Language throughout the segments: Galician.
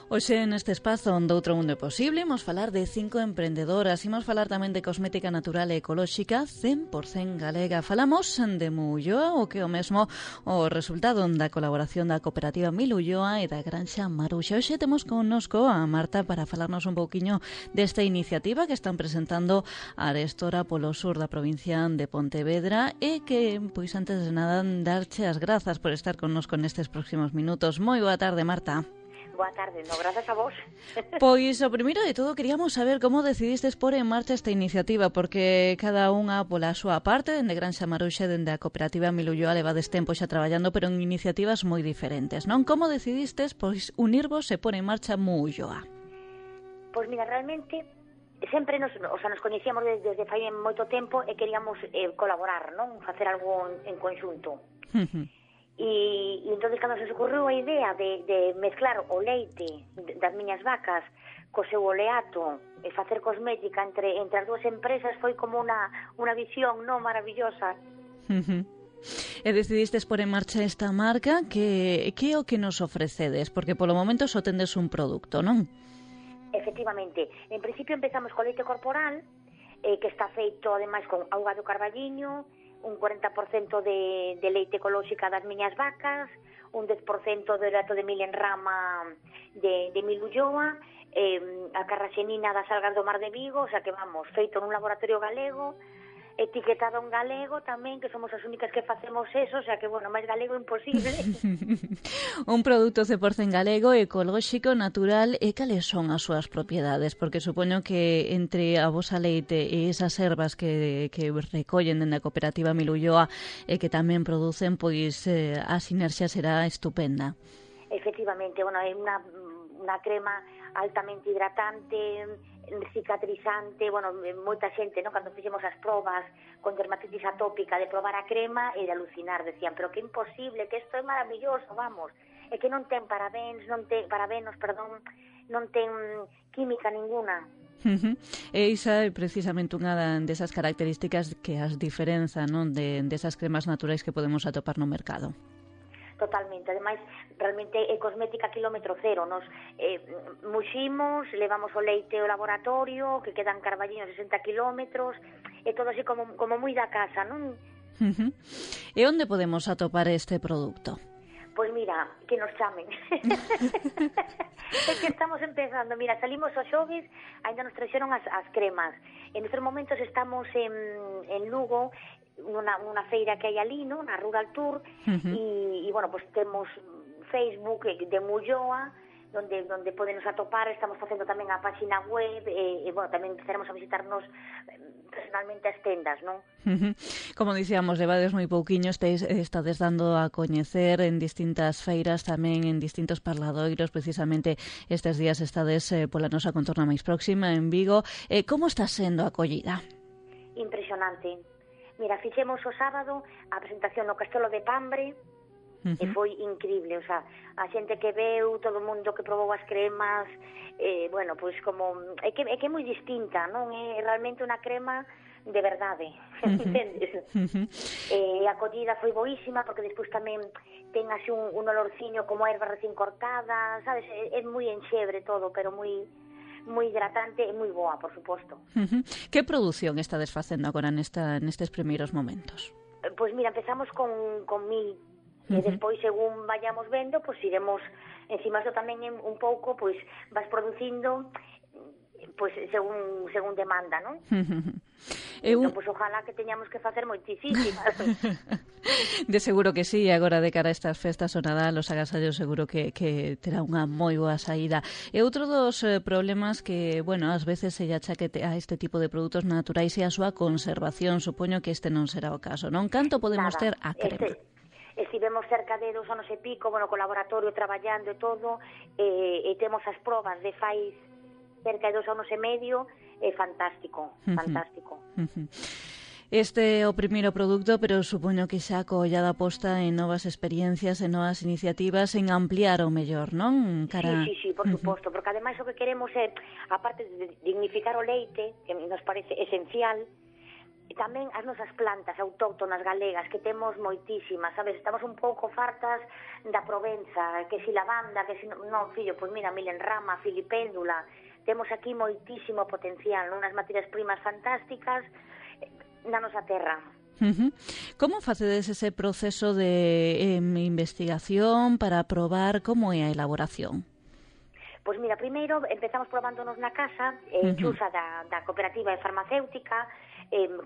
Hoxe neste espazo onde outro mundo é posible imos falar de 5 emprendedoras, imos falar tamén de cosmética natural e ecolóxica 100% galega. Falamos de Muulloa, o que é o mesmo o resultado da colaboración da cooperativa Milulloa e da Granxa Maruxa. Hoxe temos connosco a Marta para falarnos un pouquiño desta iniciativa que están presentando a Arestora polo sur da provincia de Pontevedra e que, pois antes de nada, darche as grazas por estar connosco nestes próximos minutos. Moi boa tarde, Marta. Boa tarde, grazas a vos. Pois, o primeiro de todo, queríamos saber como decidistes pôr en marcha esta iniciativa, porque cada unha pola súa parte, dende Granxa Maruxa, dende a cooperativa Milulloa, levades tempo xa traballando, pero en iniciativas moi diferentes, non? Como decidistes, pois, unirvos e pôr en marcha Milulloa? Pois mira, realmente, sempre nos coñecíamos desde fai moito tempo e queríamos colaborar, non? Facer algo en conxunto. E entonces cando se ocurriu a idea de mezclar o leite das miñas vacas co seu oleato e facer cosmética entre as dúas empresas foi como unha visión maravillosa. E decidistes pôr en marcha esta marca, que é o que nos ofrecedes? Porque polo momento só tendes un produto, non? Efectivamente, en principio empezamos co leite corporal, que está feito ademais con auga do carballiño, un 40% de leite ecolóxica das miñas vacas, un 10% de oleato de mil en rama de Milulloa, a carraxenina das algas do Mar de Vigo, o sea que vamos, feito nun laboratorio galego, etiquetado en galego tamén, que somos as únicas que facemos eso, o sea que, bueno, máis galego imposible. Un produto 100% galego, ecolóxico, natural, e cales son as súas propiedades? Porque supoño que entre a vosa leite e esas ervas que recollen dende a cooperativa Milulloa e que tamén producen, pois a sinerxia será estupenda. Efectivamente, bueno, é unha crema altamente hidratante, cicatrizante, bueno, moita xente, non, cando fixemos as probas con dermatitis atópica de probar a crema e de alucinar, decían, pero que imposible, que isto é maravilloso, vamos, é que non ten parabenos, non ten química ninguna. E esa é precisamente unha desas características que as diferenza, non, desas cremas naturais que podemos atopar no mercado. Totalmente, ademais, realmente é cosmética kilómetro cero, nos muximos, levamos o leite ao laboratorio, que quedan carballiños 60 kilómetros, é todo así como moi da casa, non? E onde podemos atopar este produto? Pois mira, que nos chamen. É que estamos empezando, mira, salimos os xoves, ainda nos traxeron as cremas. En estes momentos estamos en Lugo, unha feira que hai ali, no, na Rural Tour, e bueno, pues temos Facebook de Milulloa, donde podenos atopar, estamos facendo tamén a página web, e bueno, tamén empezaremos a visitarnos personalmente as tendas, non? Como dicíamos, levades moi pouquiño, estades dando a coñecer en distintas feiras, tamén en distintos parladoiros, precisamente estes días estades pola nosa contorna máis próxima, en Vigo. Como está sendo a acollida? Impresionante. Mira, fixemos o sábado a presentación no Castelo de Pambre e foi increíble, o sea, a xente que veu, todo o mundo que probou as cremas, bueno, pois como é que é moi distinta, non? É realmente unha crema de verdade, entendes? E a acollida foi boísima porque despois tamén ten así un olorciño como a erva recén cortada, sabes? É moi enxebre todo, pero moi hidratante e moi boa, por suposto. Que produción estades facendo agora nestes primeiros momentos? Pois mira, empezamos con 1000 e despois, según vayamos vendo, pois iremos encima isto tamén un pouco, pois vas producindo pois según demanda, non? Entón, pois ojalá que teñamos que facer moitísimas. De seguro que sí, agora de cara a estas festas o Nadal, os agasallos seguro que terá unha moi boa saída. E outro dos problemas que, bueno, ás veces se achaque a este tipo de produtos naturais e a súa conservación, supoño que este non será o caso, non? Canto podemos ter a crema? Estivemos cerca de 2 anos e pico, bueno, co laboratorio traballando e todo, e temos as probas de fai cerca de 2 anos e medio, é fantástico, fantástico. Este é o primeiro produto, pero supoño que xa co ollada posta en novas experiencias, en novas iniciativas, en ampliar o mellor, non? Sí, por suposto, porque ademais o que queremos é, aparte de dignificar o leite, que nos parece esencial, tamén as nosas plantas autóctonas galegas, que temos moitísimas, sabes? Estamos un pouco fartas da Provenza, que si lavanda, que si... Non, fillo, pois mira, milenrama, filipéndula, temos aquí moitísimo potencial, unhas materias primas fantásticas na nosa terra. Como facedes ese proceso de investigación para probar como é a elaboración? Pois mira, primeiro empezamos probándonos na casa, Xusa da cooperativa farmacéutica,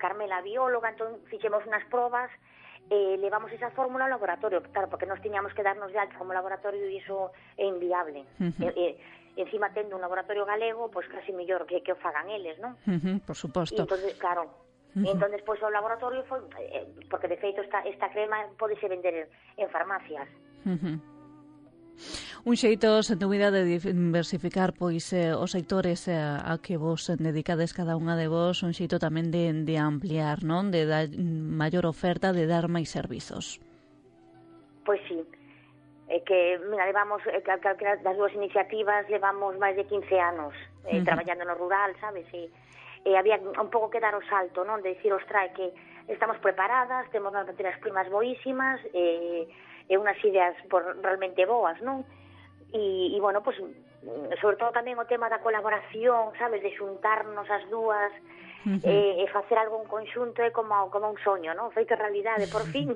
Carmela bióloga, entón fixemos unas probas, levamos esa fórmula ao laboratorio, claro, porque nos tiñamos que darnos de alta como laboratorio e iso é inviable. Encima tendo un laboratorio galego, pois casi mellor que o fagan eles, non? Por suposto. E entón, claro, entón despois o laboratorio foi, porque de feito esta crema podese vender en farmacias. Un xeito, sen dúbida, de diversificar pois os sectores a que vos dedicades cada unha de vos, un xeito tamén de ampliar, non? De dar maior oferta, de dar máis servizos. Pois sí, que, mira, levamos, calquera das dúas iniciativas, levamos máis de 15 anos traballando no rural, sabes? E había un pouco que dar o salto, non? De dicir, ostra, que estamos preparadas, temos as materias primas boísimas, e unhas ideas realmente boas, non? E bueno, pues, sobre todo tamén o tema da colaboración, sabes, de xuntarnos as dúas e facer algo en conxunto é como un soño, non? Feito realidade, por fin.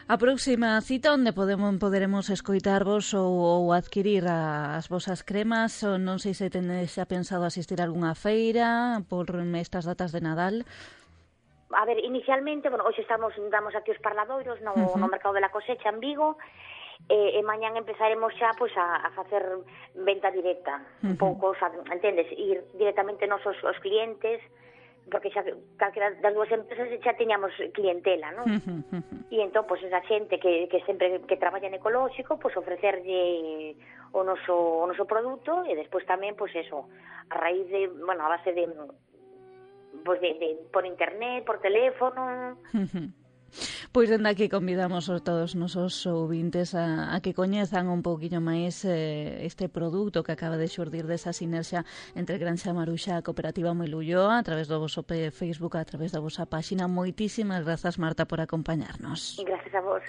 A próxima cita onde poderemos escoitarvos ou adquirir as vosas cremas, ou non sei se tenes xa pensado asistir a algunha feira por estas datas de Nadal. A ver, inicialmente, bueno, hoxe damos aquí os parladoiros no Mercado de la Cosecha en Vigo, e mañán empezaremos xa pois a facer venta directa, un pouco, o sea, entendes, ir directamente nos os clientes, porque xa calquera das dúas empresas xa tiñamos clientela, non? E entón, pois, esa xente que sempre que traballa en ecolóxico, pois ofrecerlle o noso produto, e despois tamén, pois eso, a raíz de, bueno, a base de pois de por internet, por teléfono. Pois dende aquí convidamos a todos os nosos ouvintes a que coñezan un pouquiño máis este produto que acaba de xurdir desa sinerxia entre Granxa Maruxa e a Cooperativa Moilulloa a través do voso Facebook, a través da vosa páxina. Moitísimas grazas, Marta, por acompañarnos. E gracias a vos.